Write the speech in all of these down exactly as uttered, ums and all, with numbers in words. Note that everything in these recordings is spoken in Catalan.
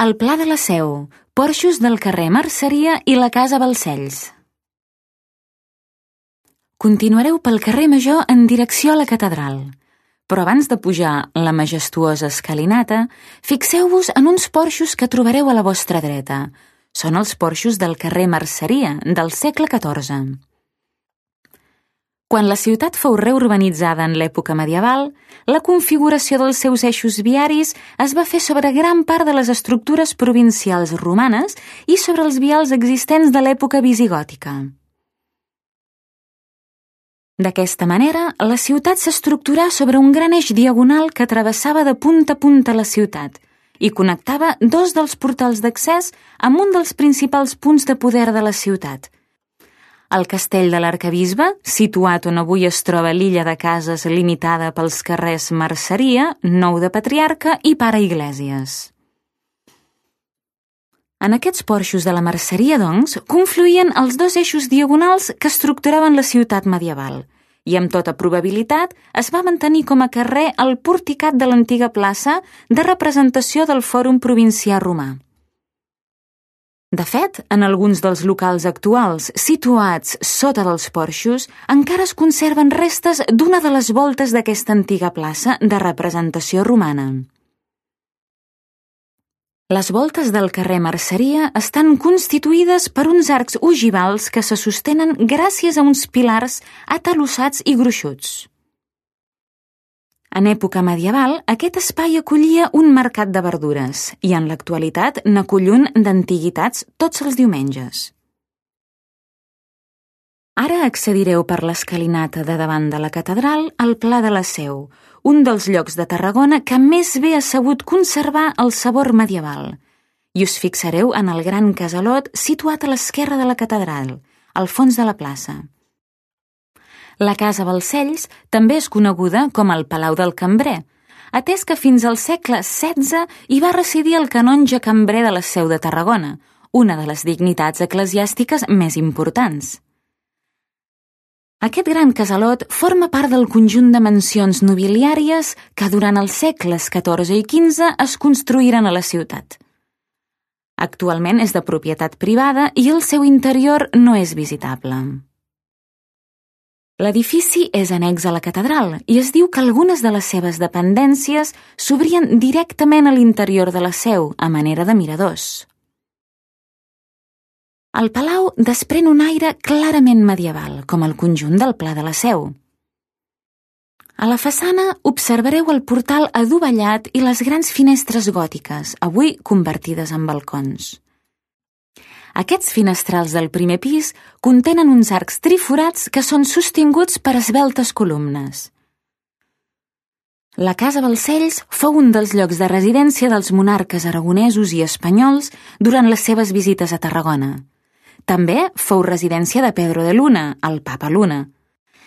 al Pla de la Seu, porxos del carrer Merceria i la Casa Balcells. Continuareu pel carrer Major en direcció a la catedral, però abans de pujar la majestuosa escalinata, fixeu-vos en uns porxos que trobareu a la vostra dreta. Són els porxos del carrer Merceria, del segle catorze. Quan la ciutat fou reurbanitzada en l'època medieval, la configuració dels seus eixos viaris es va fer sobre gran part de les estructures provincials romanes i sobre els vials existents de l'època visigòtica. D'aquesta manera, la ciutat s'estructurà sobre un gran eix diagonal que travessava de punta a punta la ciutat i connectava dos dels portals d'accés amb un dels principals punts de poder de la ciutat. El castell de l'Arquebisbe, situat on avui es troba l'illa de cases limitada pels carrers Merceria, Nou de Patriarca i Pare Iglesias. En aquests porxos de la Merceria, doncs, confluïen els dos eixos diagonals que estructuraven la ciutat medieval i, amb tota probabilitat, es va mantenir com a carrer el porticat de l'antiga plaça de representació del Fòrum Provincià Romà. De fet, en alguns dels locals actuals situats sota dels porxos encara es conserven restes d'una de les voltes d'aquesta antiga plaça de representació romana. Les voltes del carrer Merceria estan constituïdes per uns arcs ogivals que se sostenen gràcies a uns pilars atalossats i gruixuts. En època medieval, aquest espai acollia un mercat de verdures i en l'actualitat n'acull un d'antiguitats tots els diumenges. Ara accedireu per l'escalinata de davant de la catedral al Pla de la Seu, un dels llocs de Tarragona que més bé ha sabut conservar el sabor medieval, i us fixareu en el gran casalot situat a l'esquerra de la catedral, al fons de la plaça. La Casa Balcells també és coneguda com el Palau del Cambrer, atès que fins al segle setze hi va residir el canonge cambrer de la Seu de Tarragona, una de les dignitats eclesiàstiques més importants. Aquest gran casalot forma part del conjunt de mansions nobiliàries que durant els segles catorze i quinze es construïren a la ciutat. Actualment és de propietat privada i el seu interior no és visitable. L'edifici és annex a la catedral i es diu que algunes de les seves dependències s'obrien directament a l'interior de la seu, a manera de miradors. El palau desprèn un aire clarament medieval, com el conjunt del Pla de la Seu. A la façana observareu el portal adovellat i les grans finestres gòtiques, avui convertides en balcons. Aquests finestrals del primer pis contenen uns arcs triforats que són sostinguts per esveltes columnes. La Casa Balcells fou un dels llocs de residència dels monarques aragonesos i espanyols durant les seves visites a Tarragona. També fou residència de Pedro de Luna, el papa Luna,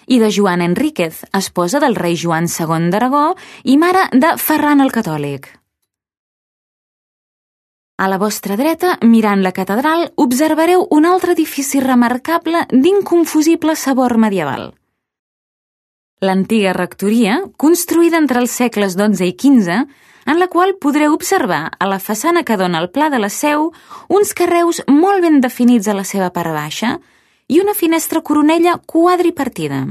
i de Joana Enríquez, esposa del rei Joan segon d'Aragó i mare de Ferran el Catòlic. A la vostra dreta, mirant la catedral, observareu un altre edifici remarcable d'inconfusible sabor medieval. L'antiga rectoria, construïda entre els segles dotze i quinze, en la qual podreu observar a la façana que dona al Pla de la Seu uns carreus molt ben definits a la seva part baixa i una finestra coronella quadripartida.